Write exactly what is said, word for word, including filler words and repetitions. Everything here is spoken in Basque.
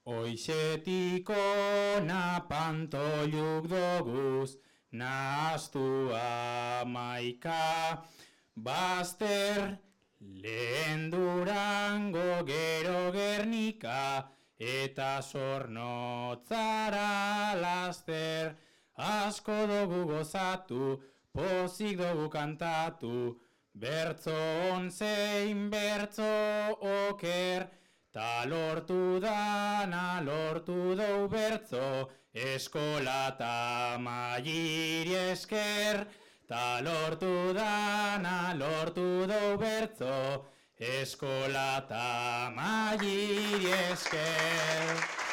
Oixetik ona pantoluk doguz, nahaztu amaika, bazter, lehen Durango gero Gernika, eta Zornotzara laster, asko dugu gozatu, pozik dugu kantatu, bertzo onzein bertzo oker, ta lortu dana lortu dou bertzo, eskola ta mailiri esker, ta lortu dana lortu dou bertzo, eskola ta mailiri esker.